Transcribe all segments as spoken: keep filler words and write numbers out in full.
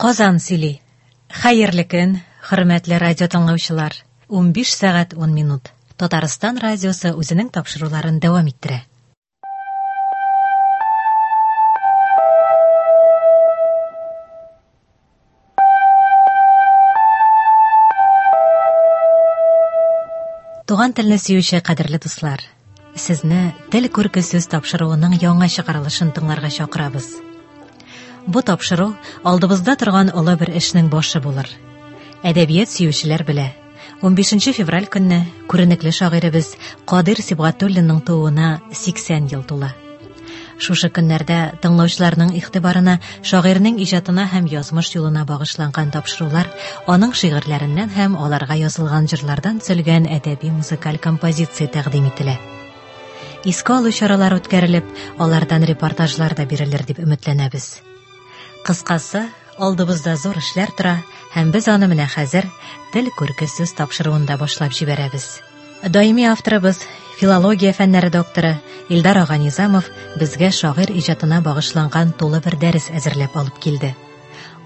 Казан сөйли. Хәерле көн, хөрмәтле радио тыңлаучылар. Унбиш сәгать ун минут. Татарстан радиосы үзенең тапшыруларын дәвам иттерә. Туган телне сөюче кадерле дуслар, сезне Тел күрке сүз тапшыруының яңа чыгарылышын тыңларга чакырабыз. Бу тапшыру алдыбызда торган олы бер эшнең башы булыр. Әдәбият сөючеләр белә. Унбишенче февраль көнне күренекле шагыйребез Кадыйр Сибгатуллинның тууына сиксән ел тула. Шушы көннәрдә тыңлаучыларның игътибарына шагыйрьнең иҗатына һәм язмыш юлына багышланган тапшырулар, аның шигырьләреннән һәм аларга язылган җырлардан төзелгән әдәби музыкаль композиция тәкъдим ителә. Искә алу чаралары үткәрелеп, алардан репортажлар да бирелер дип өметләнәбез. Кыскасы, алдыбызда зур эшләр тора, һәм без аны менә хәзер Тел күрке сүз тапшыруында башлап җибәрәбез. Даими авторыбыз, филология фәннәре докторы Илдар ага Низамов безгә шагыйрь иҗатына багышланган тулы бер дәрес әзерләп алып килде.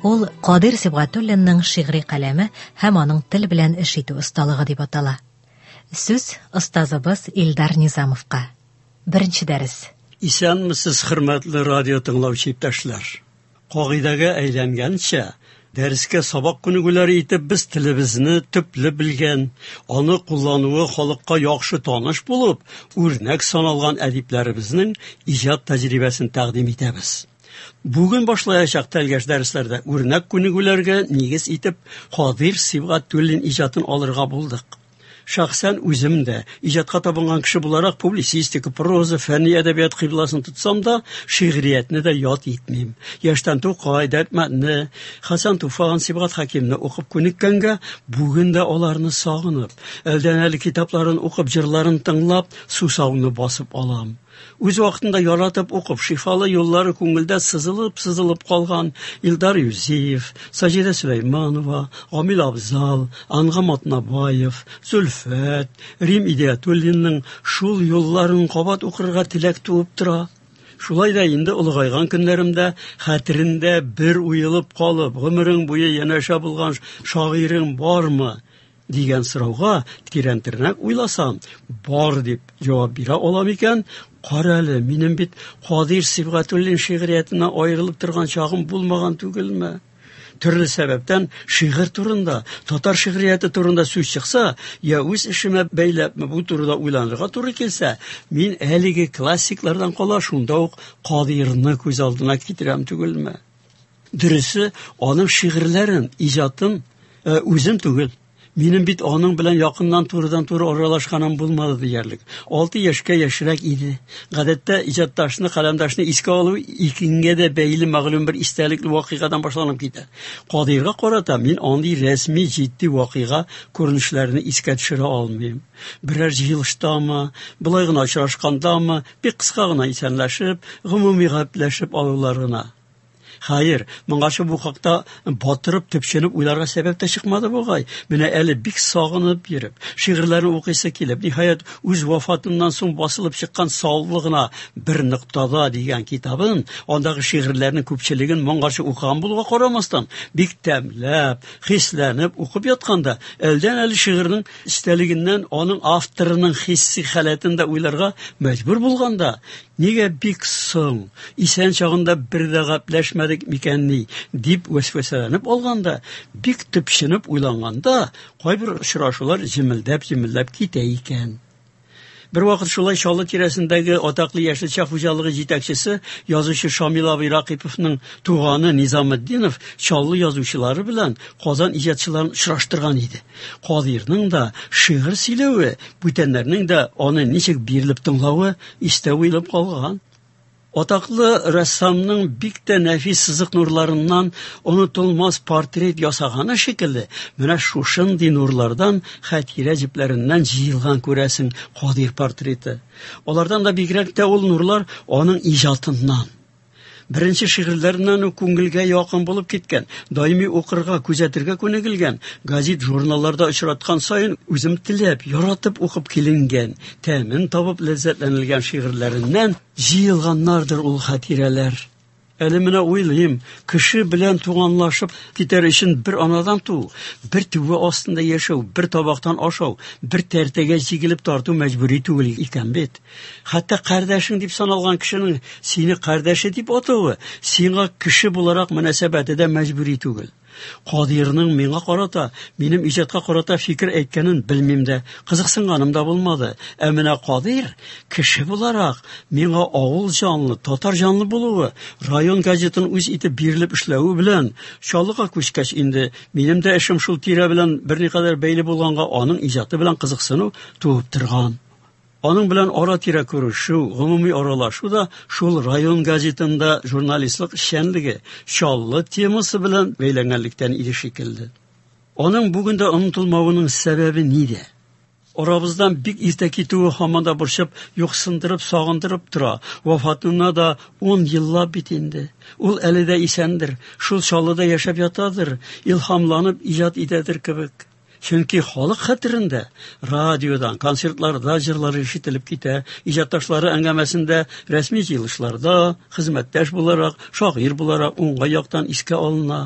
Ул Кадыйр Сибгатуллинның шигъри каләме һәм аның тел белән эш итү осталыгы дип атала. Сүз остазыбыз Илдар Низамовка. Беренче дәрес. Исәнмесез, хөрмәтле радио тыңлаучы иптәшләр. Кагыйдәгә әйләнгәнчә, дәрескә сабак күнегүләре итеп без телебезне төпле белгән, аны куллануы халыкка яхшы таныш булып, үрнәк саналган әдипләребезнең иҗат тәҗрибәсен тәкъдим итәбез. Бүген башлаячак тәлгәш дәресләрдә үрнәк күнегүләргә нигез итеп Кадыйр Сибгатуллин иҗатын алырга булдык. Шәхсән үзем дә иҗатка табынган кеше буларак публицистика, проза, фәнни әдәбият кыйбласын тотсам да, шигъриятне дә ят итмим. Яшьтән Тукай, Дәрдмәндне, Хәсән Туфан, Сибгат Хәкимне укып күнеккәнгә, бүген дә аларны сагынып, әлдән-әле китапларын укып, җырларын тыңлап, сусауны басып алам. Үз вакытында яратып укып, шифалы юллары күңелдә сызылып-сызылып калган Илдар Юзиев, Саҗидә Сөләйманова, Гамил Абзал, Ангам Атнабаев, Зөлфәт, Рим Идиятуллинның шул юлларын кабат укырга теләк туып тора. Шулай да инде олыгайган көннәремдә хәтерендә бер уелып калып, гомерең буе янәшә булган шагыйрең бармы дигән сорауга тирәнтерәк уйласам, бар дип җавап бирә алам икән. Кара әле, минем бит Кадыйр Сибгатуллин шигъриятеннән аерылып торган чагым булмаган түгелме? Төрле сәбәптән шигырь турында, татар шигърияте турында сүз чыкса, я үз эшемә бәйләпме бу турыда уйланырга туры килсә, мин әлеге классиклардан кала шунда ук Кадыйрны күз алдына китерәм түгелме? Дөресе, аның шигырьләрен, иҗатын, э, үзем түгел. Минем бит аның белән якыннан турыдан-туры аралашканым булмады диярлек. Алты яшькә яшьрәк иде. Гадәттә иҗатташны, каләмдашны искә алу икенгә дә бәйле мәгълүм бер истәлекле вакыйгадан башланып китә. Кадыйрга карата мин андый рәсми җитди вакыйга күренешләрне искә төшерә алмыйм. Берәр җыелыштамы, болай гына очрашкандамы, бик кыска гына исәнләшеп, гомуми гәпләшеп алулар гына. Хәер, моңарчы бу хакта батырып, төпченеп уйларга сәбәп тә чыкмады бугай. Менә әле бик сагынып йөреп, шигырьләрен укыйсы килеп, ниһаять, үз вафатыннан соң басылып чыккан Саллы гына бер ноктада дигән китабын, андагы шигырьләрнең күпчелеген моңарчы укыган булуга карамастан, бик тәмләп, хисләнеп укып ятканда, әлдән-әле шигырьнең эчтәлегеннән аның авторының хисси халәтен дә уйларга мәҗбүр булганда, нигә бик соң, исән чагында бер дә гәпләшмәдек микәнни дип вәсвәсәләнеп алганда, бик төпченеп уйланганда, кайбер очрашулар җемелдәп-җемелдәп китә икән. Бер вакыт шулай Чаллы тирәсендәге атаклы яшелчә хуҗалыгы җитәкчесе, язучы Шамил абый Рәкыйповның туганы Низаметдинов Чаллы язучылары белән Казан иҗатчыларын очраштырган иде. Кадыйрның да шигырь сөйләве, бүтәннәрнең дә аны ничек бирелеп тыңлавы истә уелып калган. Атаклы рәссамның бик тә нәфис сызык нурларыннан онытылмас портрет ясаганы шикелле, менә шушындый нурлардан, хатирә җепләреннән җыелган күрәсең Кадыйр портреты. Алардан да бигрәк тә ул нурлар аның иҗатыннан. Беренче шигырьләреннән үк күңелгә якын булып киткән, даими укырга, күзәтергә күнегелгән, газет, журналларда очраткан саен үзем теләп, яратып укып киленгән, тәмен табып ләззәтләнелгән шигырьләреннән җыелганнардыр ул хатирәләр. Әле менә уйлыйм, кеше белән туганлашып китәр өчен бер анадан туу, бер түбә астында яшәү, бер табактан ашау, бер тәртәгә җигелеп тарту мәҗбүри түгел икән бит. Хәтта кардәшең дип саналган кешенең сине кардәше дип атавы, сиңа кеше буларак мөнәсәбәте дә мәҗбүри түгел. Кадыйрның миңа карата, минем иҗатка карата фикер әйткәнен белмим дә, кызыксынганым да булмады. Ә менә Кадыйр кеше буларак миңа авыл җанлы, татар җанлы булуы, район газетын үз итеп бирелеп эшләве белән Чаллыга күчкәч инде минем дә эшем шул тирә белән берникадәр бәйле булганга аның иҗаты белән кызыксыну туып торган. Аның белән ара-тирә күрешү, гомуми аралашу да шул район газетында журналистлык эшчәнлеге, Чаллы темасы белән бәйләнгәнлектән иде шикелле. Аның бүген дә онытылмавының сәбәбе нидә? Арабыздан бик иртә китүе һаман да борчып, юксындырып, сагындырып тора. Вафатына да ун еллап бит инде. Ул әле дә исәндер, шул Чаллыда яшәп ятадыр, илһамланып иҗат итәдер кебек. Чөнки халык хәтерендә радиодан, концертларда җырлары ишетелеп китә, иҗатташлары әңгәмәсендә, рәсми җыелышларда хезмәттәш буларак, шагыйрь буларак уңай яктан искә алына,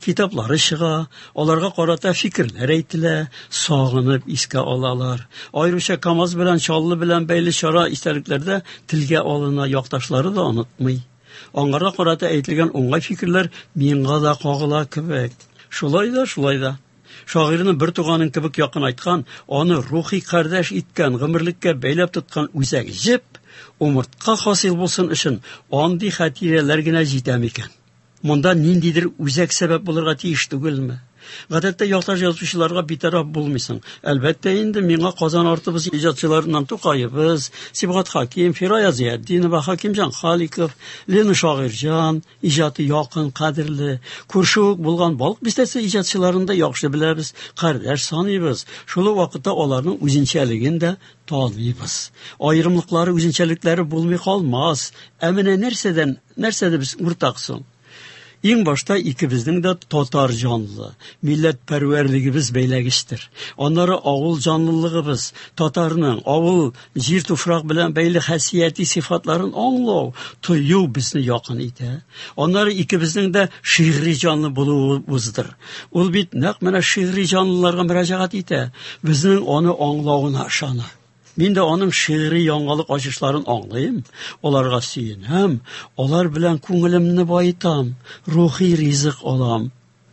китаплары чыга, аларга карата фикерләр әйтелә, сагынып искә алалар. Аеруча КАМАЗ белән Чаллы белән бәйле чара истәлекләрдә телгә алына, якташлары да онытмый. Аңарга карата әйтелгән уңай фикерләр миңа да кагыла кебек. Шулай да, шулай да. Шагыйрьне бер туганың кебек якынайткан, аны рухи кардәш иткән, гомерлеккә бәйләп тоткан үзәк җеп, умыртка хасил булсын өчен андый хатирәләр генә җитә микән? Монда ниндидер үзәк сәбәп булырга тиеш түгелме? Гадәттә якташ язучыларга битараф булмыйсың. Әлбәттә инде миңа Казан артыбыз иҗатчыларыннан Тукаебыз, Сибгат Хаким, Фирая Зиятдинова, Хакимҗан Халиков, Лена Шагыйрьҗан иҗаты якын, кадерле. Күрше үк булган Балык бистәсе иҗатчыларын да яхшы беләбез, кардәш саныйбыз. Шул ук вакытта аларның үзенчәлеген дә таныйбыз. Аерымлыклары, үзенчәлекләре булмый калмас. Ә менә нәрсәдән, нәрсәдә без уртак соң? Иң башта икебезнең дә татар җанлы, милләтпәрвәрлегебез бәйләгечтер. Аннары авыл җанлылыгыбыз, татарның авыл җир туфрак белән бәйле хасияти сыйфатларын аңлау, тою безне якын итә. Аннары икебезнең дә шигъри җанлы булуыбыздыр. Ул бит нәкъ менә шигъри җанлыларга мөрәҗәгать итә, безнең аны аңлавына ышана. Мин дә аның шигъри яңалык ачышларын аңлыйм, аларга сөенәм, алар белән күңелемне баетам, рухи ризык алам.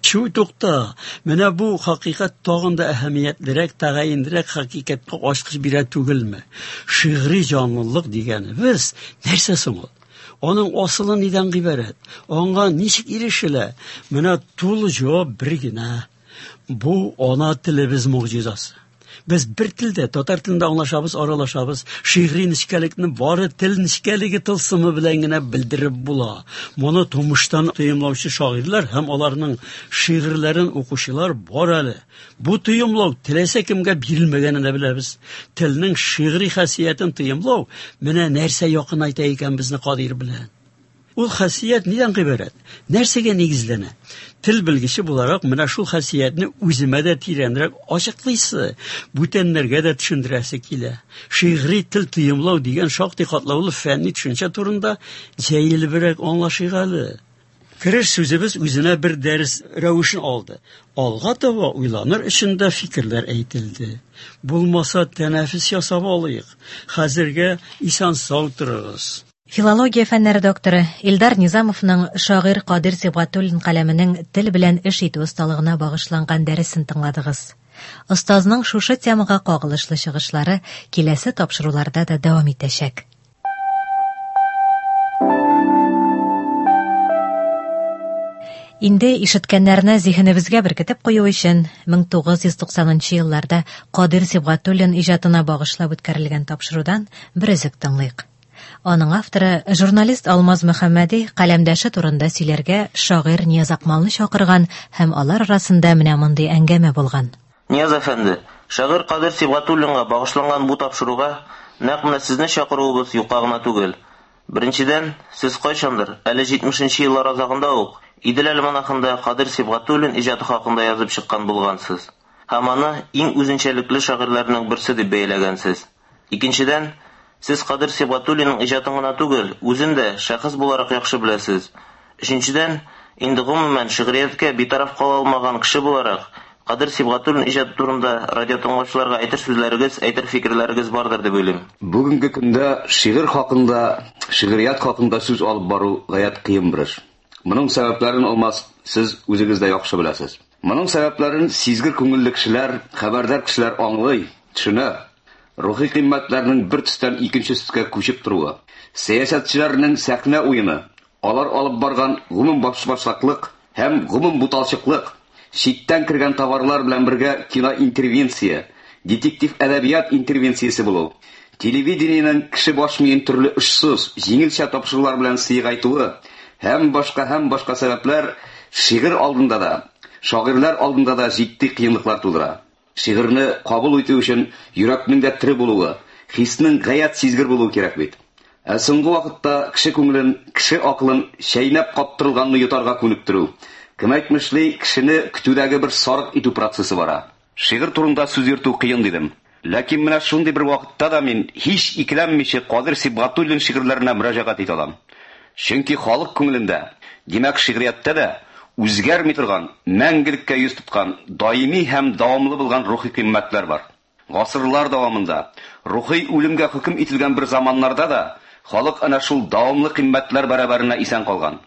Чү, тукта, менә бу хакыйкать тагын да әһәмиятлерәк, тәгаенрәк хакыйкатькә ачкыч бирә түгелме? Шигъри җанлылык дигәнебез нәрсә соң ул? Аның асылы нидән гыйбарәт? Аңа ничек ирешелә? Менә тулы җавап бер генә. Бу ана телебез могҗизасы. Без бер телдә, татар телендә аңлашабыз, аралашабыз. Шигъри нечкәлекне бары тел нечкәлеге тылсымы белән генә белдереп була. Моны тумыштан тоемлаучы шагыйрьләр һәм аларның шигырьләрен укучылар бар әле. Бу тоемлау теләсә кемгә бирелмәгәнен дә беләбез. Телнең шигъри хасиятен тоемлау менә нәрсә якынайта икән безне Кадыйр белән. Ул хасият нидән гыйбарәт? Нәрсәгә нигезләнә? Тел белгече буларак менә шул хасиятне үземә дә тирәнрәк ачыклыйсы, бүтәннәргә дә төшендерәсе килә. Шигъри тел тоемлау дигән шактый катлаулы фәнни төшенчә турында җәелебрәк аңлашыйк әле. Кереш сүзебез үзенә бер дәрес рәвешен алды. Алга таба уйланыр өчен дә фикерләр әйтелде. Булмаса тәнәфес ясап алыйк. Хәзергә исән-сау торыгыз. Филология фәннәре докторы Илдар Низамовның шагыйрь Кадыйр Сибгатуллин каләменең тел белән эш итү осталыгына багышланган дәресен тыңладыгыз. Остазның шушы темага кагылышлы чыгышлары киләсе тапшыруларда да дәвам итәчәк. Инде ишеткәннәрне зиһенебезгә беркетеп кую өчен мең тугыз йөз туксанынчы елларда Кадыйр Сибгатуллин иҗатына багышлап үткәрелгән тапшырудан бер өзек тыңлыйк. Аның авторы журналист Алмаз Мөхәммәди каләмдәше турында сөйләргә шагыйрь Нияз Акмалны чакырган һәм алар арасында менә мондый әңгәмә булган. Нияз әфәнде, шагыйрь Кадыйр Сибгатуллинга багышланган бу тапшыруга нәкъ менә сезне чакыруыбыз юкка гына түгел. Беренчедән, сез кайчандыр, әле җитмешенче еллар азагында ук Идел альманахында Кадыйр Сибгатуллин иҗаты хакында язып чыккан булгансыз. Һәм аны иң үзенчәлекле шагыйрьләрнең берсе дип бәяләгәнсез. Икенчедән, сез Кадыйр Сибгатуллинның иҗатын гына түгел, үзен дә шәхес буларак яхшы беләсез. Өченчедән, инде гомумән шигърияткә битараф кала алмаган кеше буларак, Кадыр Сибгатуллин иҗаты турында радио тыңлаучыларга әйтер сүзләрегез, әйтер фикерләрегез бардыр дип уйлыйм. Бүгенге көндә шигырь хакында, шигърият хакында сүз алып бару гаять кыен бер эш. Моның сәбәпләрен Алмаз сез үзегез дә яхшы беләсез. Моның сәбәпләрен сизгер күңелле кешеләр, хәбәрдар кешеләр аңлый, төшенә. Рухи кыйммәтләрнең бер төстән икенче төскә күчеп торуы, сәясәтчеләрнең сәхнә уены, алар алып барган гомум башбаштаклык һәм гомум буталчыклык, читтән кергән товарлар белән бергә киноинтервенция, детектив әдәбият интервенциясе булу, телевидениенең кеше баш миен төрле очсыз, җиңелчә тапшырулар белән сыйгайтуы һәм башка һәм башка сәбәпләр шигырь алдында да, шагыйрьләр алдында да җитди кыенлыклар тудыра. Шигырьне кабул итү өчен йөрәкнең дә тере булуы, хиснең гаять сизгер булуы кирәк бит. Ә соңгы вакытта кеше күңелен, кеше акылын чәйнәп каптырылганны йотарга күнектерү, кем әйтмешли, кешене көтүдәге бер сарык итү процессы бара. Шигырь турында сүз йөртү кыен дидем. Ләкин менә шундый бер вакытта да мин һич икеләнмичә Кадыр Сибгатуллин шигырьләренә мөрәҗәгать итә алам. Чөнки халык күңелендә, димәк, шигърияттә дә үзгәрми торган, мәңгелеккә йөз тоткан, даими һәм дәвамлы булган рухи кыйммәтләр бар. Гасырлар дәвамында рухи үлемгә хөкем ителгән бер заманнарда да халык әнә шул дәвамлы кыйммәтләр бәрабәренә исән калган.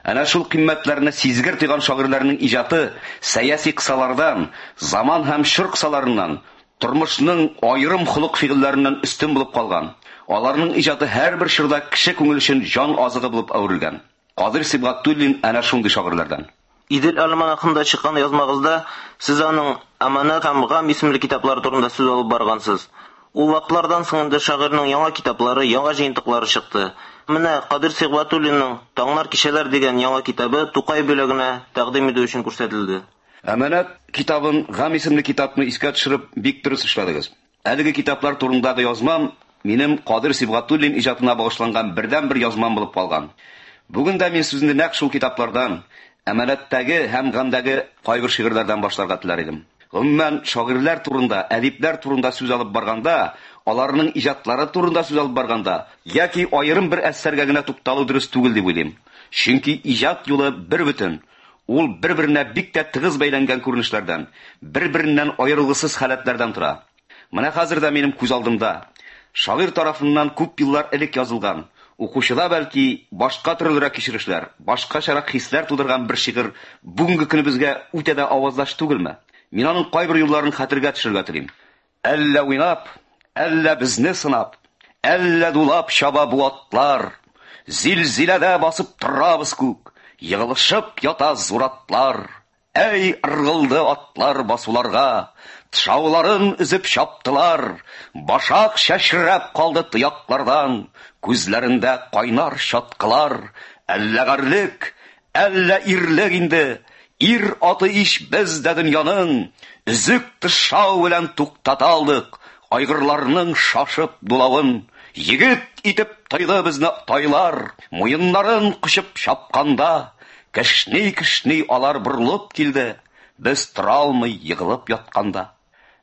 Әнә шул кыйммәтләрне сизгер тойган шагыйрьләрнең иҗаты сәяси кысалардан, заман һәм чор кысаларыннан, тормышның аерым холык фигыльләреннән өстен булып калган. Аларның иҗаты һәрбер чорда кеше күңеле өчен җан азыгы булып әверелгән. Кадыр Сибгатуллин әнә шундый шагыйрьләрдән. Идел альманахында чыккан язмагызда сез аның Аманат һәм Гам исемле китаплары турында сүз алып баргансыз. Ул вакытлардан соң инде шагыйрьнең яңа китаплары, яңа җыентыклары чыкты. Менә Кадыр Сибгатуллинның Таңнар кичәләр дигән яңа китабы Тукай бүләгенә тәкъдим итү өчен күрсәтелде. Аманат китабын, Гам исемле китапны искә төшереп бик дөрес эшләдегез. Әлеге китаплар турындагы язмам минем Кадыр Сибгатуллин иҗатына багышланган бердәнбер язмам булып калган. Бүген дә мин сүзне нәкъ шул китаплардан, Әманаттагы һәм Гамдагы кайбер шигырьләрдән башларга теләр идем. Гомумән, шагыйрьләр турында, әдипләр турында сүз алып барганда, аларның иҗатлары турында сүз алып барганда, яки аерым бер әсәргә генә тукталу дөрес түгел дип уйлыйм. Чөнки иҗат юлы бер бөтен, ул бер-беренә бик тә тыгыз бәйләнгән күренешләрдән, бер-береннән аерылгысыз халәтләрдән тора. Менә хәзер дә минем күз алдымда шагыйрь тарафыннан күп еллар элек язылган, укучыда бәлки башка төрлерәк кичерешләр, башкачарак хисләр тудырган бер шигырь бүгенге көнебезгә үтә дә аваздаш түгелме? Мин аның кайбер юлларын хәтергә төшерергә телим. Әллә уйнап, әллә безне сынап, әллә дулап чаба бу атлар, зилзиләдә басып торабыз күк, егылышып ята зуратлар. Әй, ыргылды атлар басуларга, тышауларын өзеп чаптылар, башак чәчрәп калды тояклардан, күзләрендә кайнар чаткылар. Әллә гарьлек, әллә ирлек инде, ир аты иш без дә дөньяның, өзек тышау белән туктата алдык, айгырларның шашып дулавын. Егет итеп тойды безне тайлар, муеннарын кочып чапканда, кешни-кешни алар борылып килде, без тора алмый егылып ятканда.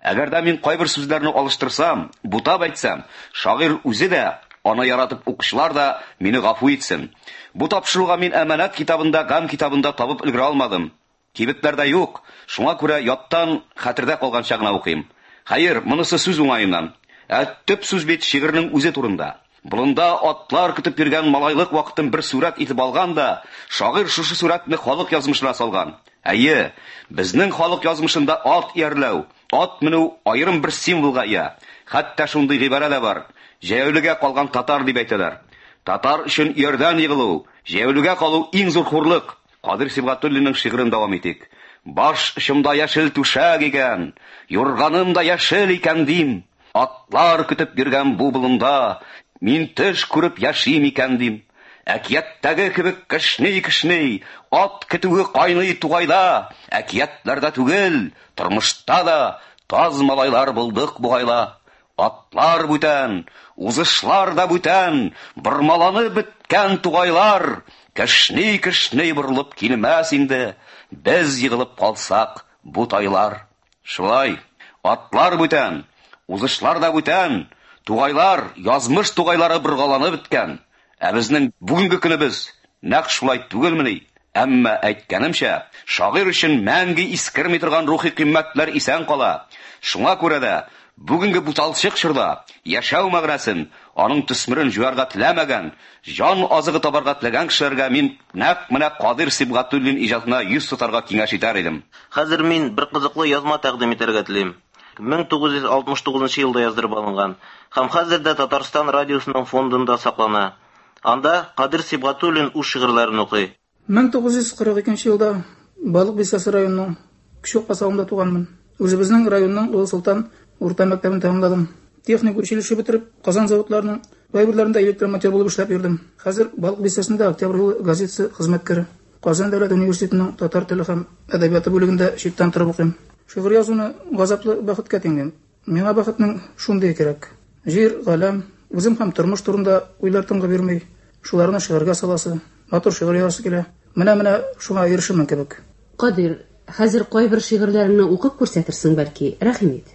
Әгәр дә мин кайбер сүзләрне алыштырсам, бутап әйтсәм, шагыйрь үзе дә, аны яратып укучылар да мине гафу итсен. Бу тапшыруга мин Әманат китабында, Гам китабында табып өлгерә алмадым. Кибетләрдә юк, шуңа күрә яттан хәтердә калганча гына укыйм. Хәер, монысы сүз уңаеннан. Ә төп сүз бит шигырьнең үзе турында. Болында атлар көтеп йөргән малайлык вакытын бер сурәт итеп алган да, шагыйрь шушы сурәтне халык язмышына салган. Әйе, безнең халык язмышында ат иярләү, ат менү аерым бер символга ия. Хәтта шундый гыйбарә дә бар. Җәяүлегә калган татар дип әйтәләр. Татар өчен иярдән егылу, җәяүлегә калу иң зур хурлык. Кадыр Сибгатуллинның шигырен дәвам итик. Баш очымда яшел түшәк икән, юрганым да яшел икән дим. Атлар көтеп йөргән бу болында, мин төш күреп яшим икән дим. Әкияттәге кебек кешни-кешни, ат көтүе кайный тугайда, әкиятләрдә түгел, тормышта да таз малайлар булдык бугайла. Атлар бүтән, узышлар да бүтән, бормаланып беткән тугайлар, кешни-кешни борылып килмәс инде, без егылып калсак бу тайлар. Шулай, атлар бүтән, узышлар да бүтән, тугайлар, язмыш тугайлары боргаланып беткән. Ә безнең бүгенге көнебез Нәкъ шулай түгелмени? Әмма әйткәнемчә, шагыйрь өчен мәңге искерми торган рухи кыйммәтләр исән кала. Шуңа күрә дә бүгенге буталчык чорда яшәү мәгънәсен, аның төсмерен җуярга теләмәгән, җан азыгы табарга теләгән кешеләргә мин нәкъ менә Кадыйр Сибгатуллин иҗатына йөз тотарга киңәш итәр идем. Хәзер мин бер кызыклы язма тәкъдим итәргә телим. мең тугыз йөз алтмыш тугызынчы елда яздырып алынган һәм хәзер дә Татарстан радиосының фондында саклана. Анда Кадыйр Сибгатуллин үз шигырьләрен укый. мең тугыз йөз кырык икенче елда Балык Бистәсе районының Кече Касавында туганмын. Үзебезнең районның Олы Солтан урта мәктәбен тәмамладым. Техник училище бетереп, Казан заводларының кайберләрендә электромонтер булып эшләп йөрдем. Хәзер Балык Бистәсендә Октябрь юлы газетасы хезмәткәре. Казан дәүләт университетының татар теле һәм әдәбияты бүлегендә читтән торып укыйм. Шигырь язуны газаплы бәхеткә тиңлим. Миңа бәхетнең шундый кирәк. Җир, галәм, үзем һәм тормыш турында уйлар тынгы бирми. Шуларны шигырьгә саласы, матур шигырь язасы килә. Менә-менә шуңа ирешермен кебек. Кадыйр, хәзер кайбер шигырьләреңне укып күрсәтерсең бәлки, рәхим ит.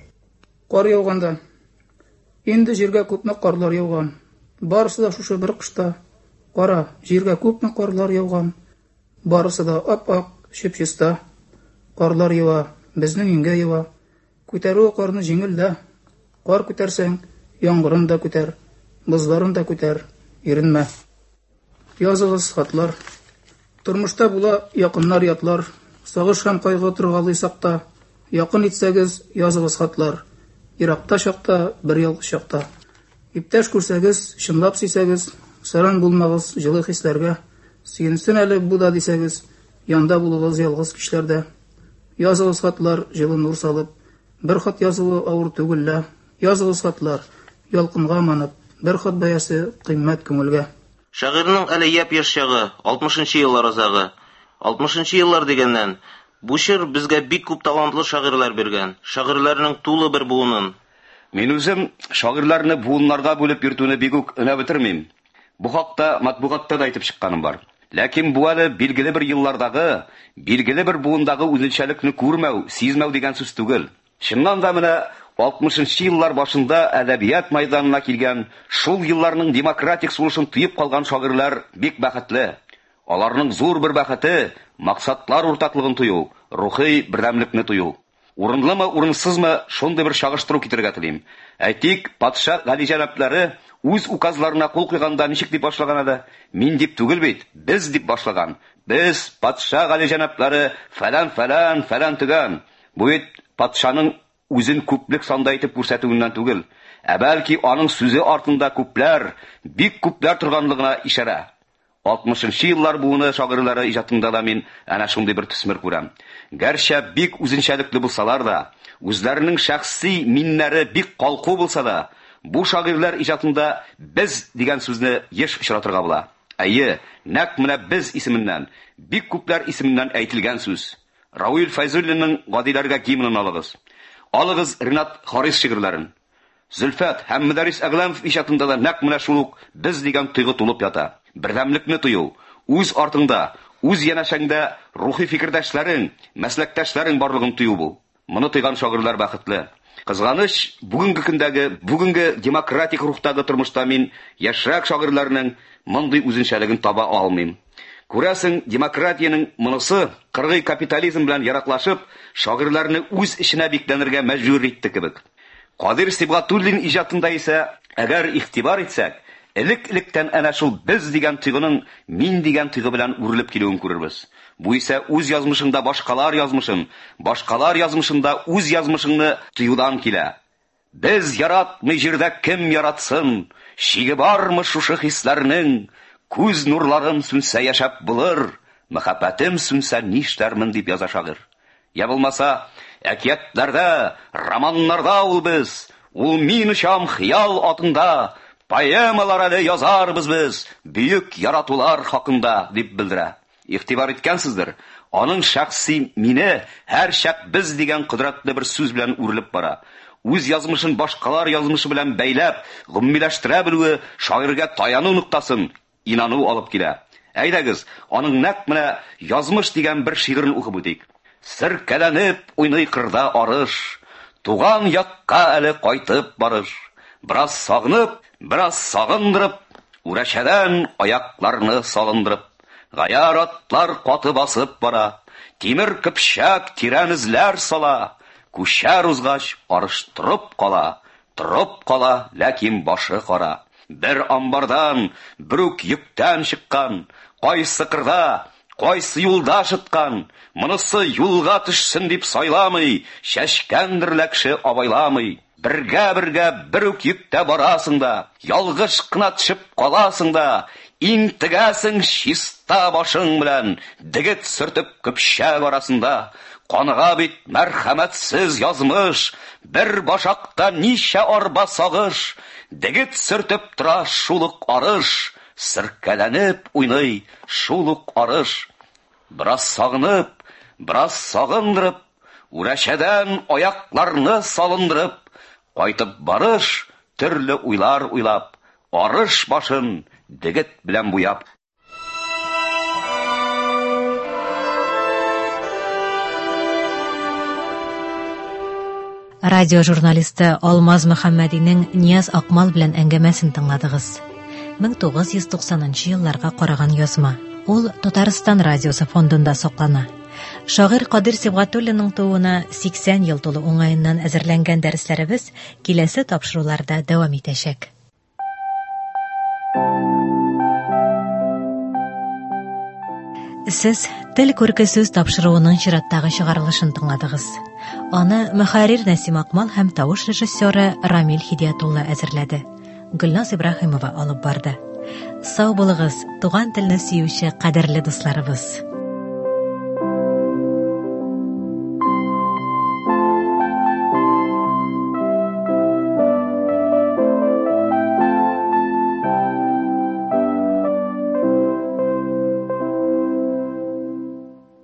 Кар яуганда. Инде җиргә күпме карлар яуган. Барысы да шушы бер кышта. Кара, җиргә күпме карлар яуган. Барысы да ап-ак, чип-чиста. Карлар ява, безнең иңгә ява. Күтәрү карны җиңел дә. Кар күтәрсәң, яңгырын да күтәр, бозларын да күтәр, иренмә. Языгыз хатлар. Тормышта була якыннар ятлар. Сагыш һәм кайгы торгалыйсак та, якын итсәгез, языгыз хатлар. Еракта чакта, бер ялгыз чакта. Иптәш күрсәгез, чынлап сөйсәгез, саран булмагыз җылы хисләргә. Сөенсен әле бу да дисәгез, янда булыгыз ялгыз кичләрдә. Языгыз хатлар, җылы нур салып, бер хат язуы авыр түгел лә. Языгыз хатлар, ялкынга манып, бер хат бәясе кыйммәт күңелгә. Шагыйрьнең әле япь-яшь чагы, алтмышынчы еллар азагы. Алтмышынчы еллар дигәннән, бу чор безгә бик күп талантлы шагыйрьләр биргән. Шагыйрьләрнең тулы бер буынын. Мин үзем шагыйрьләрне буыннарга бүлеп йөртүне бик үк өнәп бетермим. Бу хакта матбугатта да әйтеп чыкканым бар. Ләкин бу әле билгеле бер еллардагы, билгеле бер буындагы үзенчәлекне күрмәү, сизмәү дигән сүз түгел. Чыннан да менә алтмышынчы еллар башында әдәбият майданына килгән, шул елларның демократик сулышын тоеп калган шагыйрьләр бик бәхетле. Аларның зур бер бәхете максатлар уртаклыгын тою, рухи бердәмлекне тою. Урынлымы, урынсызмы, шундый бер чагыштыру китерергә телим. Әйтик, патша галиҗәнаплары үз указларына кул куйганда ничек дип башлаган иде? Мин дип түгел бит, без дип башлаган. Без патша галиҗәнаплары фәлән фәлән фәлән төгән. Бу бит патшаның үзен күплек санда итеп күрсәтүеннән түгел, ә бәлки аның сүзе артында күпләр, бик күпләр торганлыгына ишарә. Алтмышынчы еллар буыны шагыйрьләре иҗатында да мин әнә шундый бер төсмер күрәм. Гәрчә бик үзенчәлекле булсалар да, үзләренең шәхси миннәре бик калку булса да, бу шагыйрьләр иҗатында без дигән сүзне еш очратырга була. Әйе, нәкъ менә без исеменнән, бик күпләр исеменнән әйтелгән сүз. Равил Фәйзуллинның Гадиләргә гимнын алыгыз. Алыгыз Ринат Харис шигырьләрен. Зөлфәт һәм Мөдәррис Әгъләмов иҗатында да нәкъ менә шул ук без дигән тойгы тулып ята. Бердәмлекне тою, үз артыңда, үз янәшәңдә рухи фикердәшләрең, мәсләктәшләрең барлыгын тою бу. Моны тойган шагыйрьләр бәхетле. Кызганыч, бүгенге көндәге, бүгенге демократик рухтагы тормышта мин яшьрәк шагыйрьләрнең мондый үзенчәлеген таба алмыйм. Күрәсең, демократиянең монысы кыргый капитализм белән яраклашып, шагыйрьләрне үз эченә бикләнергә мәҗбүр итте кебек. Кадыйр Сибгатуллин иҗатында исә, әгәр игътибар итсәк, элек-электән әнә шул без дигән тойгының мин дигән тойгы белән үрелеп килүен күрербез. Бу исә үз язмышыңда башкалар язмышын, башкалар язмышында үз язмышыңны тоюдан килә. Без яратмый җирдә кем яратсын, шиге бармы шушы хисләрнең? Күз нурларым сүнсә яшәп булыр, мәхәббәтем сүнсә нишләрмен дип яза шагыйрь. Я булмаса, әкиятләрдә, романнарда ул без, ул мин очам хыял атында, поэмалар әле язарбыз без, бөек яратулар хакында дип белдерә. Игътибар иткәнсездер, аның шәхси мине һәр чак без дигән кодрәтле бер сүз белән үрелеп бара. Үз язмышын башкалар язмышы белән бәйләп, гомумиләштерә белүе шагыйрьгә таяну ноктасын инану алып килә. Әйдәгез, аның нәкъ менә язмыш дигән бер шигырен укып үтик. Серкәләнеп уйный кырда арыш, туган якка әле кайтып барыш. Бераз сагынып, бераз сагындырып, үрәчәдән аякларны салындырып. Гаяр атлар каты басып бара, тимер көпчәк тирән эзләр сала, күчәр узгач арыш торып кала, торып кала, ләкин башы кара. Бер амбардан, бер үк йөктән чыккан, кайсы кырда, кайсы юлда шыткан, монысы юлга төшсен дип сайламый, чәчкәндер ләкше абайламый. Бергә-бергә бер үк йөктә барасың да, ялгыш кына төшеп каласың да, интегәсең чиста башың белән, дегет сөртеп көпчәк арасында. Каныга бит мәрхәмәтсез язмыш, бер башакта ничә арба сагыш, дегет сөртеп тора шул ук арыш, сиркәләнеп уйный шул ук арыш. Бераз сагынып, бераз сагындырып, үрәчәдән аякларны салындырып, кайтып барыш, төрле уйлар уйлап, арыш башын дегет белән буяп. Радио журналисты Алмаз Мөхәммәдинең Нияз Акмал белән әңгәмәсен тыңладыгыз. мең тугыз йөз туксанынчы елларга караган язма. Ул Татарстан радиосы фондында саклана. Шагыйрь Кадир Сибгатуллинның тууына сиксән ел тулу уңаеннан әзерләнгән дәресләребез киләсе тапшыруларда дәвам итәчәк. Сез Тел күрке сүз тапшыруының чираттагы чыгарылышын тыңладыгыз. Аны мөхәррир Нәсим Акмал һәм тавыш режиссеры Рамил Хидиятулла әзерләде. Гөлназ Ибраһимова алып барды. Сау булыгыз, туган телне сөюче кадерле дусларыбыз.